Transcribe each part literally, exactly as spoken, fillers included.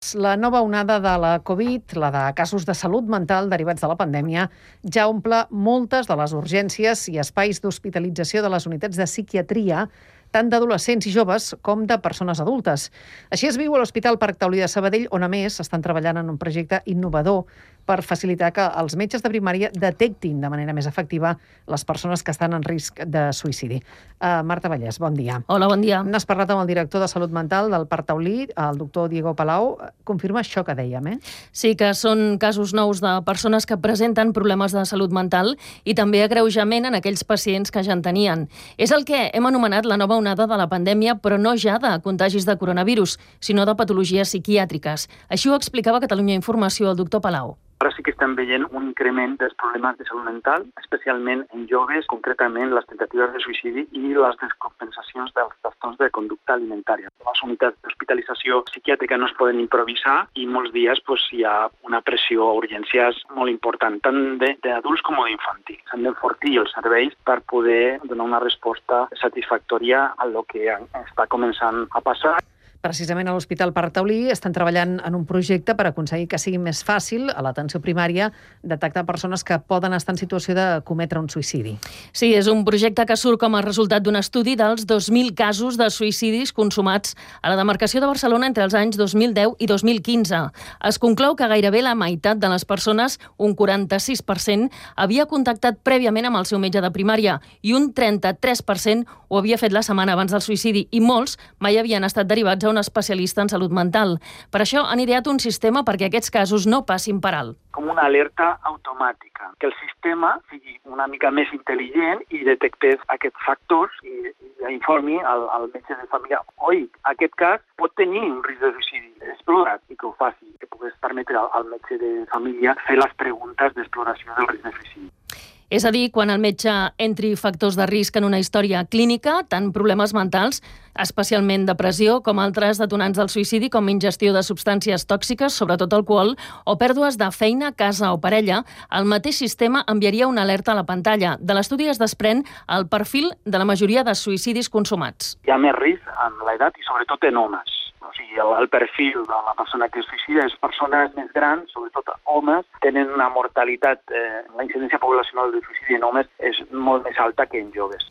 La nova onada de la Covid, la de casos de salut mental derivats de la pandèmia, ja omple moltes de les urgències i espais d'hospitalització de les unitats de psiquiatria, tant d'adolescents i joves com de persones adultes. Així es viu a l'Hospital Parc Taulí de Sabadell, on a més estan treballant en un projecte innovador per facilitar que els metges de primària detectin de manera més efectiva les persones que estan en risc de suïcidi. Uh, Marta Vallès, bon dia. Hola, bon dia. N'has parlat amb el director de Salut Mental del Parc Taulí, el doctor Diego Palau. Confirma això que dèiem, eh? Sí, que són casos nous de persones que presenten problemes de salut mental i també agreujament en aquells pacients que ja en tenien. És el que hem anomenat la nova onada de la pandèmia, però no ja de contagis de coronavirus, sinó de patologies psiquiàtriques. Així ho explicava a Catalunya Informació el doctor Palau. Ara sí que estem veient un increment dels problemes de salut mental, especialment en joves, concretament les tentatives de suïcidi i les descompensacions dels trastorns de conducta alimentària. Les unitats d'hospitalització psiquiàtrica no es poden improvisar i molts dies pues, hi ha una pressió a urgències molt important, tant d'adults com d'infantils. S'han d'enfortir els serveis per poder donar una resposta satisfactòria a lo que està començant a passar. Precisament a l'Hospital Parc Taulí estan treballant en un projecte per aconseguir que sigui més fàcil a l'atenció primària detectar persones que poden estar en situació de cometre un suïcidi. Sí, és un projecte que surt com a resultat d'un estudi dels dos mil casos de suïcidis consumats a la demarcació de Barcelona entre els anys dos mil deu i dos mil quinze. Es conclou que gairebé la meitat de les persones, un quaranta-sis per cent, havia contactat prèviament amb el seu metge de primària i un trenta-tres per cent ho havia fet la setmana abans del suïcidi i molts mai havien estat derivats a un especialista en salut mental. Per això han ideat un sistema perquè aquests casos no passin per alt. Com una alerta automàtica, que el sistema sigui una mica més intel·ligent i detectés aquests factors i, i informi al, al metge de família. Oi, aquest cas pot tenir un risc de suïcidi. Explora't i que ho faci, que puguis permetre al, al metge de família fer les preguntes d'exploració del risc de suïcidi. És a dir, quan el metge entri factors de risc en una història clínica, tant problemes mentals, especialment depressió, com altres detonants del suïcidi, com ingestió de substàncies tòxiques, sobretot alcohol, o pèrdues de feina, casa o parella, el mateix sistema enviaria una alerta a la pantalla. De l'estudi es desprèn el perfil de la majoria de suïcidis consumats. Hi ha més risc en l'edat i sobretot en homes. O sigui, el, el perfil de la persona que es suïcida és persones més grans, sobretot homes, tenen una mortalitat, eh, la incidència poblacional de suïcidi en homes és molt més alta que en joves.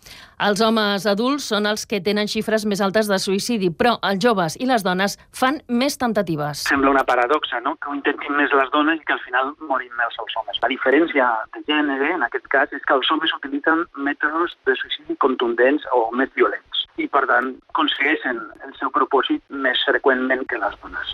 Els homes adults són els que tenen xifres més altes de suïcidi, però els joves i les dones fan més temptatives. Sembla una paradoxa, no?, que ho intentin més les dones i que al final morin més els homes. La diferència de gènere, en aquest cas, és que els homes utilitzen mètodes de suïcidi contundents o més violents i, per tant, aconsegueixen el seu propòsit més freqüentment que les dones.